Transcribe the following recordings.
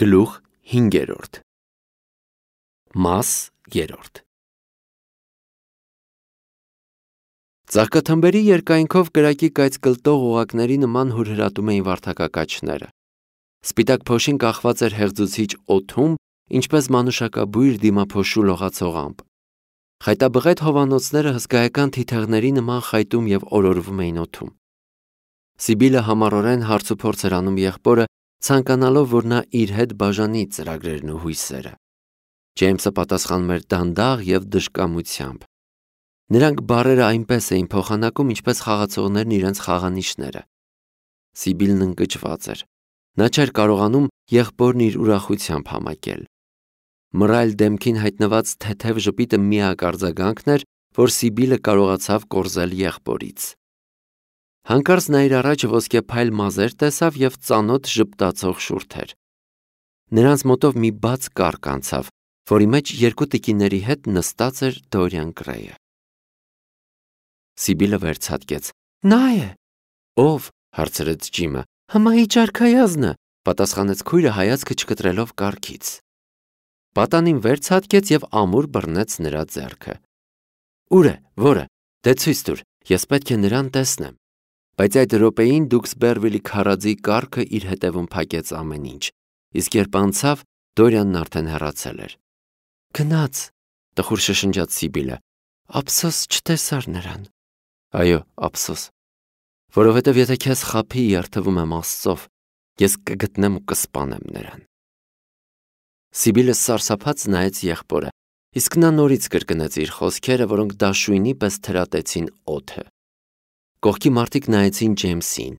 Գլուխ 5. Մաս 3. Ծաղկաթմբերի երկայնքով կրակի կայծ կլտող օղակների նման հուրհրատում էին վարդակակաչները։ Սպիտակ փոշին կախված էր հեղձուցիչ օդում, ինչպես մանուշակաբույր դիմափոշու լողացող ամպ։ Խայտաբղետ հովանոցները հսկայական թիթեղների նման խայտում և օրորվում էին օդում։ Սիբիլը համառորեն հարցուփորձ էր անում եղբորը, ցանկանալով, որ նա իր հետ բաժանի ծրագրերն ու հույսերը։ Ջեյմսը պատասխանում էր դանդաղ և դժկամությամբ։ Նրանք բառերը այնպես էին փոխանակում, ինչպես խաղացողներն իրենց խաղանիշները։ Սիբիլն ընկճված էր։ Նա չէր կարողանում եղբորն իր ուրախությամբ համակել։ Մռայլ դեմքին հայտնված թեթև ժպիտը միակ արձագանքն էր, որ Սիբիլը կարողացավ կորզել եղբորից։ Հանկարծ նա իր առաջ ոսկեփայլ մազեր տեսավ և ծանոթ ժպտացող շուրթեր։ Նրանց մոտով մի բաց կառք անցավ, որի մեջ երկու տիկիների հետ նստած էր Դորիան Գրեյը։ Սիբիլը վերցատկեց։ Նա է։ Ո՞վ, հարցրեց Ջիմը։ Հմայիչ արքայազնը, պատասխանեց քույրը հայացքը չկտրելով կառքից։ Պատանին վերցատկեց և ամուր բռնեց նրա ձեռքը։ Ուր է, որը, դե ցույց տուր, ես պետք է նրան տեսնեմ։ Բայց այդ րոպեին Դուքսբերվիլի քարաձի կառքը իր հետևում փակեց ամեն ինչ, իսկ երբ անցավ, Դորիանն արդեն հեռացել էր։ Գնաց, տխուր շշնջաց Սիբիլը, ափսոս չտեսար նրան։ Այո, ափսոս, որովհետև եթե քեզ խաբի, երդվում եմ Աստծով, ես կգտնեմ ու կսպանեմ նրան։ Սիբիլը սարսափած նայեց եղբորը, իսկ նա նորից կրկնեց իր խոսքերը, որոնք դաշույնի պես թրատեցին օդը։ Կողքի մարդիկ նայեցին Ջեյմսին։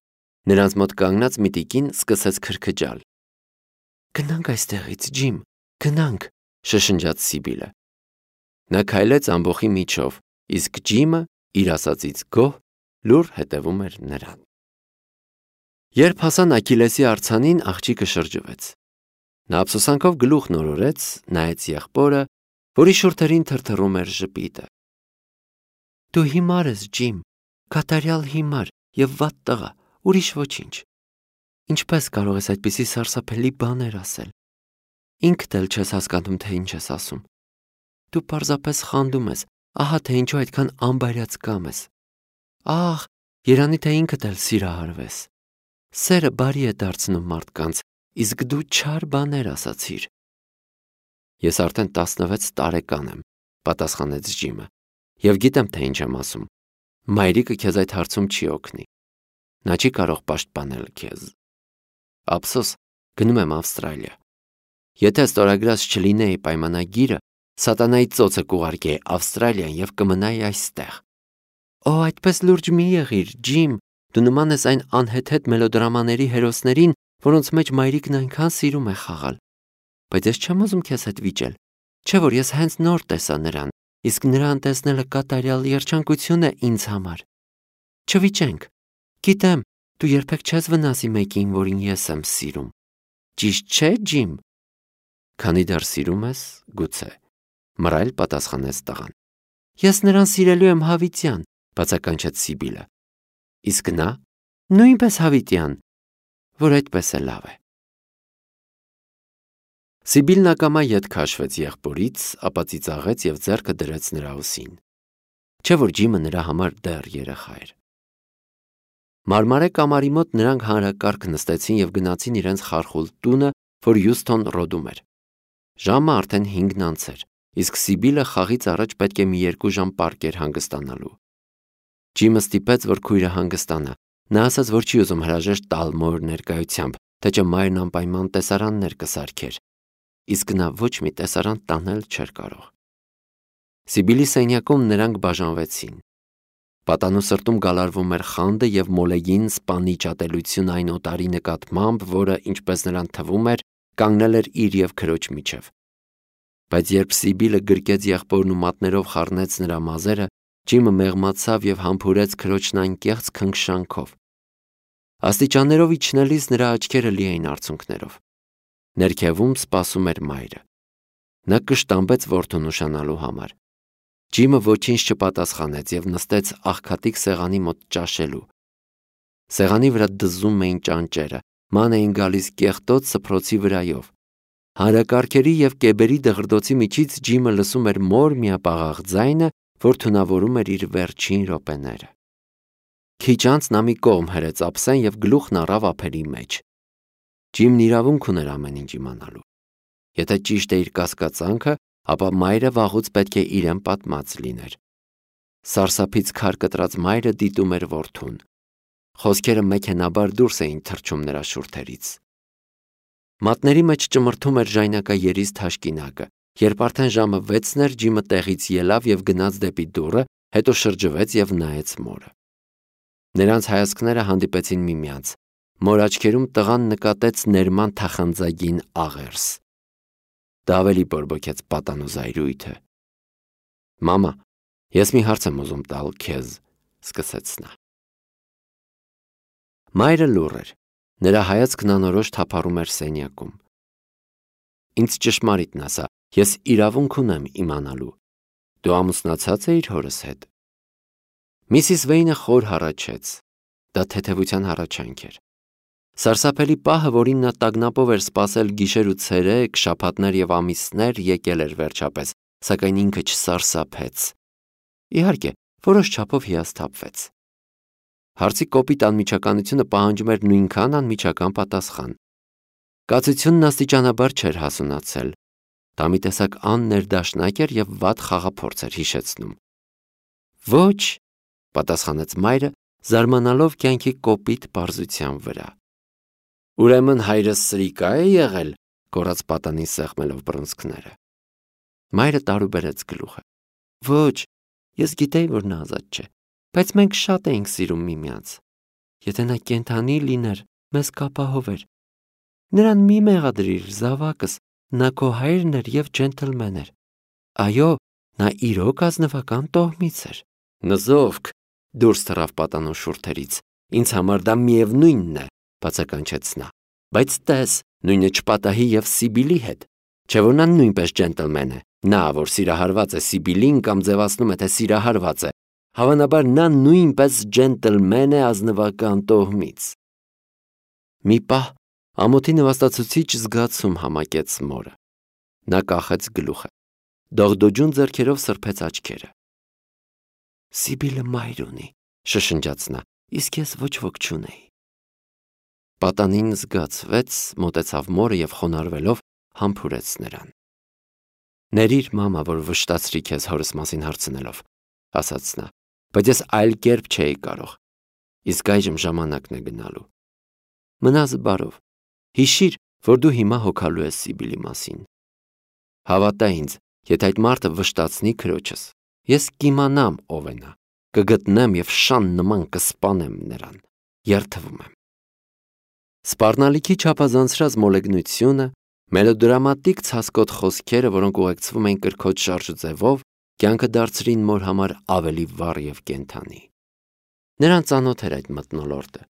Նրանց մոտ կանգնած մի տիկին սկսեց քրքջալ։ Գնանք այստեղից, Ջիմ, գնանք, շշնջաց Սիբիլը։ Նա քայլեց ամբոխի միջով, իսկ Ջիմը, իր ասածից գոհ, լուռ հետևում էր նրան։ Երբ հասան Աքիլեսի արձանին, աղջիկը շրջվեց։ Նա ափսոսանքով գլուխն օրորեց, նայեց եղբորը, որի շուրթերին թրթռում էր ժպիտը։ Դու հիմար ես, Ջիմ, կատարյալ հիմար և վատ տղա, ուրիշ ոչինչ։ Ինչպես կարող ես այդպիսի սարսափելի բաներ ասել։ Ինքդ էլ չես հասկանում, թե ինչ ես ասում։ Դու պարզապես խանդում ես, ահա թե ինչու այդքան անբարյացկամ ես։ Ահ, երանի թե ինքդ էլ սիրահարվես։ Սերը բարի է դարձնում մարդկանց, իսկ դու չար բաներ ասացիր։ Ես արդեն 16 տարեկան եմ, պատասխանեց Ջիմը, և գիտեմ, թե ինչ եմ ասում։ Մայրիկը քեզ այդ հարցում չի օգնի։ Նա չի կարող պաշտպանել քեզ։ Ափսոս, գնում եմ Ավստրալիա։ Եթե ստորագրած չլինեի պայմանագիրը, սատանայի ծոցը կուղարկեի Ավստրալիան և կմնայի այստեղ։ Օ, այդպես լուրջ մի եղիր, Ջիմ, դու նման ես այն անհեթեթ մելոդրամաների հերոսներին, որոնց մեջ մայրիկն այնքան սիրում է խաղալ։ Բայց ես չեմ ուզում քեզ հետ վիճել։ Չէ՞ որ ես հենց նոր տեսա նրան, իսկ նրան տեսնելը կատարյալ երջանկություն է ինձ համար։ Չվիճենք։ Գիտեմ, դու երբեք չես վնասի մեկին, որին ես եմ սիրում։ Ճիշտ չէ, Ջիմ։ Քանի դեռ սիրում ես, գուցե, մռայլ պատասխանեց տղան։ Ես նրան սիրելու եմ հավիտյան, բացականչեց Սիբիլը։ Իսկ նա նույնպես հավիտյան, որ այդպես է լավ է։ Սիբիլն ակամա ետ քաշվեց եղբորից, ապա ծիծաղեց և ձեռքը դրեց նրա ուսին։ Չէ՞ որ Ջիմը նրա համար դեռ երեխա էր։ Մարմարե կամարի մոտ նրանք հանրակարգ նստեցին և գնացին իրենց խարխուլ տունը, որ Հյուսթոն Ռոդում էր։ Ժամը արդեն 5-ն անց էր, իսկ Սիբիլը խաղից առաջ պետք է մի 2 ժամ պառկեր հանգստանալու։ Ջիմը ստիպեց, որ քույրը հանգստանա։ Նա ասաց, որ չի ուզում հրաժեշտ տալ մոր ներկայությամբ, թե չէ մայրն անպայման տեսարաններ կսարքեր, իսկ նա ոչ մի տեսարան տանել չէր կարող։ Սիբիլի սենյակում նրանք բաժանվեցին։ Պատանու սրտում գալարվում էր խանդը և մոլեգին սպանիչ ատելություն այն օտարի նկատմամբ, որը, ինչպես նրան թվում էր, կանգնել էր իր և քրոջ միջև։ Բայց երբ Սիբիլը գրկեց եղբորն ու մատներով խառնեց նրա մազերը, Ջիմը մեղմացավ և համբուրեց քրոջն անկեղծ քնքշանքով։ Աստիճաններով իջնելիս նրա աչքերը լի էին արցունքներով։ Ներքևում սպասում էր մայրը։ Նա կշտամբեց որդուն ուշանալու համար։ Ջիմը ոչինչ չպատասխանեց և նստեց աղքատիկ սեղանի մոտ ճաշելու։ Սեղանի վրա դզում էին ճանճերը, ման էին գալիս կեղտոտ սփռոցի վրայով, Հանրակարգերի և կեբերի դղրդոցի միջից Ջիմը լսում էր մոր միապաղաղ ձայնը, որ թունավորում էր իր վերջին րոպեները։ Քիչ անց նա մի կողմ հրեց ափսեն և գլուխն առավ ափերի մեջ։ Ջիմն իրավունք ուներ ամեն ինչ իմանալու։ Եթե ճիշտ է իր կասկածանքը, ապա մայրը վաղուց պետք է իրեն պատմած լիներ։ Սարսափից քար կտրած մայրը դիտում էր որդուն։ Խոսքերը մեքենաբար դուրս էին թռչում նրա շուրթերից։ Մատների մեջ ճմրթում էր ժայնակաերիս թաշկինակը, երբ արդեն ժամը 6-ն էր, Ջիմը տեղից ելավ և գնաց դեպի դուռը, հետո շրջվեց և նայեց մորը։ Նրանց հայացքները հանդիպեցին միմյանց։ Մոր աչքերում տղան նկատեց ներման թախանձագին աղերս։ Դա ավելի բորբոքեց պատանու զայրույթը։ «Մամա, ես մի հարց եմ ուզում տալ քեզ», սկսեց նա։ Մայրը լուռ էր։ Նրա հայացքն անորոշ թափառում էր սենյակում։ «Ինձ ճշմարիտն ասա, ես իրավունք ունեմ իմանալու։ Դու ամուսնացած էիր հորս հետ»։ Միսիս Վեյնը խոր հառաչեց։ Դա թեթևության հառաչանք էր։ Սարսափելի պահը, որին նա տագնապով էր սպասել գիշեր ու ցերեկ, շաբաթներ և ամիսներ, եկել էր վերջապես, սակայն ինքը չսարսափեց։ Իհարկե, որոշ չափով հիասթափվեց։ Հարցի կոպիտ անմիջականությունը պահանջում էր նույնքան անմիջական պատասխան։ Կացությունն աստիճանաբար չէր հասունացել։ Դա մի տեսակ աններդաշնակ էր և վատ խաղափորձ էր հիշեցնում։ «Ոչ», պատասխանեց մայրը, զարմանալով կյանքի կոպիտ պարզության վրա։ «Ուրեմն հայրս սրիկա է եղել», գոռաց պատանին սեղմելով բռունցքները։ Մայրը տարուբերեց գլուխը։ «Ոչ, ես գիտեի, որ նա ազատ չէ, բայց մենք շատ էինք սիրում միմյանց։ Եթե նա կենդանի լիներ, մեզ կապահովեր։ Նրան մի մեղադրիր, զավակս, նա քո հայրն էր և ջենթլմեն էր։ Այո, նա իրոք ազնվական տոհմից էր»։ «Նզովք», դուրս թռավ պատանու շուրթերից։ «Ինձ համար դա միևնույնն է», բացականչեց նա։ «Բայց տես, նույնը չպատահի և Սիբիլի հետ։ Չէ՞ որ նա նույնպես ջենթլմեն է։ Նա, որ սիրահարված է Սիբիլին կամ ձևացնում է, թե սիրահարված է, հավանաբար նա նույնպես ջենթլմեն է ազնվական տոհմից»։ Մի պահ ամոթի նվաստացուցիչ զգացում համակեց մորը։ Նա կախեց գլուխը։ Դողդոջուն ձեռքերով սրբեց աչքերը։ «Սիբիլը մայր ունի», շշնջաց նա, «իսկ ես ոչ ոք չունեի»։ Պատանին զգացվեց, մոտեցավ մորը և խոնարհվելով համբուրեց նրան։ «Ներիր, մամա, որ վշտացրի քեզ հորս մասին հարցնելով», ասաց նա, «բայց ես այլ կերպ չէի կարող։ Իսկ այժմ ժամանակն է գնալու։ Մնա զբարով։ Հիշիր, որ դու հիմա հոգալու ես Սիբիլի մասին։ Հավատա ինձ, եթե այդ մարդը վշտացնի քրոջս, ես կիմանամ ով է նա, կգտնեմ և շան նման կսպանեմ նրան։ Երդվում եմ»։ Սպառնալիքի չափազանցրած մոլեգնությունը, մելոդրամատիկ ցասկոտ խոսքերը, որոնք ուղեկցվում էին կրքոջ շարժուձևով, կյանքը դարձրին մոր համար ավելի վառ և կենդանի։ Նրան ծանոթ էր այդ մթնոլորտը։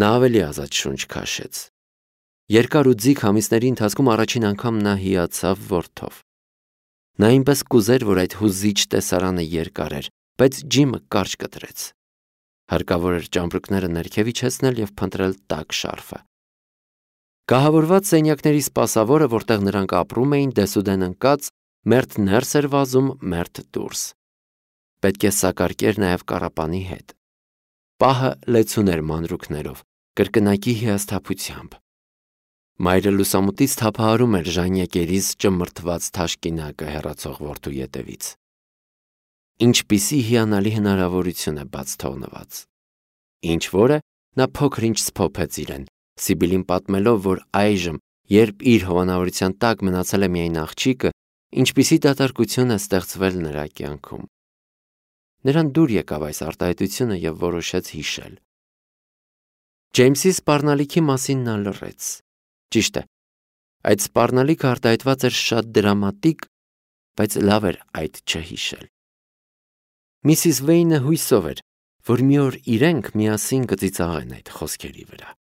Նա ավելի ազատ շունչ քաշեց։ Երկար ու ձիգ ամիսների ընթացքում առաջին անգամ նա հիացավ որդով։ Նա այնպես կուզեր, որ այդ հուզիչ տեսարանը երկար էր, բայց Ջիմը կարճ կտրեց։ Հարկավոր էր ճամպրուկները ներքև իջեցնել և փնտրել տաք շարֆը։ Կահավորված սենյակների սպասավորը, որտեղ նրանք ապրում էին, դեսուդեն ընկած, մերթ ներս էր վազում, մերթ դուրս։ Պետք է սակարկեր նաև կառապանի հետ։ Պահը լեցուն էր մանրուքներով, կրկնակի հիասթափությամբ։ Մայրը լուսամուտից թափահարում էր ժանյակերիս ճմրթված թաշկինակը հեռացող որդու ետևից։ Ինչպիսի հիանալի հնարավորություն է բաց թողնված։ Ինչ որ է, նա փոքր-ինչ սփոփեց իրեն, Սիբիլին պատմելով, որ այժմ, երբ իր հովանավորության տակ մնացել է միայն աղջիկը, ինչպիսի դատարկություն է ստեղծվել նրա կյանքում։ Նրան դուր եկավ այս արտահայտությունը և որոշեց հիշել։ Ջեյմսի սպառնալիքի մասին նա լռեց։ Ճիշտ է, այդ սպառնալիքը արտահայտված էր շատ դրամատիկ, բայց լավ էր այդ չհիշել։ Միսիս Վեյնը հույսով էր, որ մի օր իրենք միասին կծիծաղեն այդ խոսքերի վրա։